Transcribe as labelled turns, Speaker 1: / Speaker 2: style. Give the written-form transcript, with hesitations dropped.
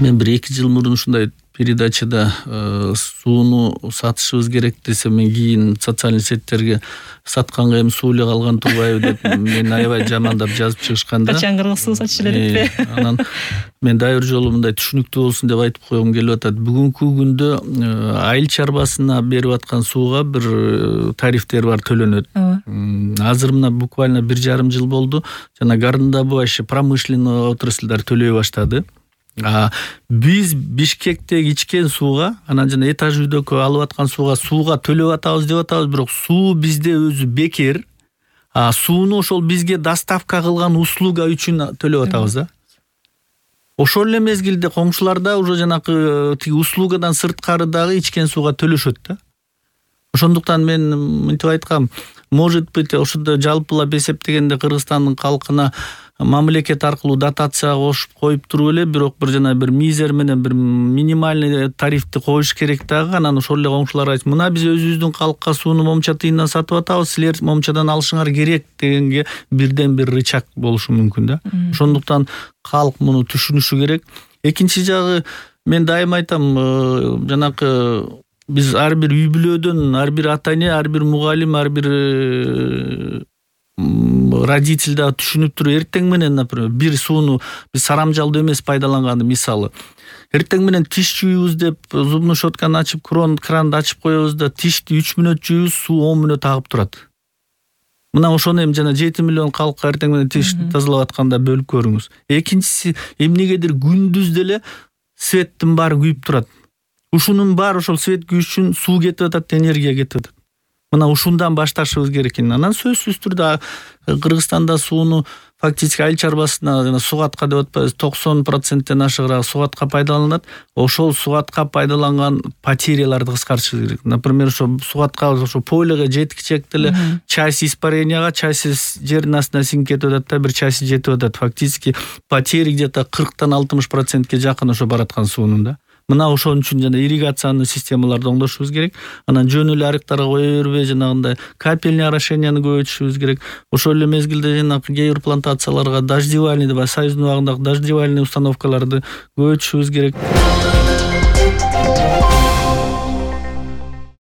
Speaker 1: Мен 1-2 жыл мурун ушундай передачада сууну сатышыбыз керек десем, мен кийин социалдык сеттерге сатканга эми суу эле калган турбайбы деп мени аябай жамандап жазып чыгышканда.
Speaker 2: Качан кыргыз суу сатыш эле деппи?
Speaker 1: Анан мен дагы бир жолу мындай түшүнүктүү болсун деп айтып койгум келип атат. Бүгүнкү күндө айыл чарбасына берип аткан сууга бир тарифтер бар, төлөнөт. Азыр мына буквально 1,5 жыл болду. Жана горнодобывающий промышленный отрасльдар төлөй баштады. Биз Бишкектеги ичкен сууга, анан жана этаж үйдөгү алып аткан сууга төлөп атабыз деп атабыз, бирок суу бизде өзү бекер. Сууну ошол бизге доставка кылган услуга үчүн төлөп атабыз да. Ошол эле мезгилде коңшуларда уже жанакы тиги услугадан сырткары дагы ичкен сууга төлөшөт да. Ошондуктан мен мынтип айткам, может быть, ошондо жалпылап эсептегенде Кыргызстандын калкына мамлекет аркылуу дотация кошуп коюп туруп эле, бирок бир жана бир мизер менен бир минимальный тарифти коюш керек дагы. Анан ошол эле коңшулар айтып, мына биз өзүбүздүн калкка сууну момча тыйындан сатып атабыз, силер момчадан алышыңар керек дегенге бирден бир рычаг болушу мүмкүн да. Ошондуктан калк муну түшүнүшү керек. Экинчи жагы, мен дайыма айтам, жанакы биз ар бир үй бүлөдөн, ар бир ата эне, ар бир мугалим, ар бир родитель да түшүнүп туруп, эртең менен, например, бир сууну биз сарамжалдуу эмес пайдаланганды, мисалы, эртең менен тиш жууйбуз деп зубный щетканы ачып, кранды ачып коебуз да, тишти 3 мүнөт жууйбуз, суу 10 мүнөт агып турат. Мына ошону эми жана 7 миллион калкка эртең менен тишти тазалап атканда бөлүп көрүңүз. Экинчиси, эмнегедир күндүз деле светтин баары күйүп турат. Ушунун баары ошол свет күйүш үчүн суу кетип атат, энергия кетип атат. Мына ушундан башташыбыз керек экен. Анан сөзсүз түрдө Кыргызстанда сууну фактически айыл чарбасына жана сугатка деп атпайбыз, 90%тен ашыгыраак сугатка пайдаланат. Ошол сугатка пайдаланган потеряларды кыскартышыбыз керек. Например, ошо сугатка, ошо пойлого жеткичек деле часть испаренияга, часть жердин астына сиңип кетип атат да, бир часть жетип атат. Фактически потери где-то 40-тан 60%ке жакын ошо бараткан суунун да. Мына ошон үчүн жана ирригациянын системаларды оңдошубуз керек. Анан жөн эле арыктарга кое бербей, жанагындай капельный орошенияны көбөйтүшүбүз керек. Ошол эле мезгилде жанагы кээ бир плантацияларга дождевальный деп, союздун убагындагы дождевальный установкаларды көбөйтүшүбүз керек.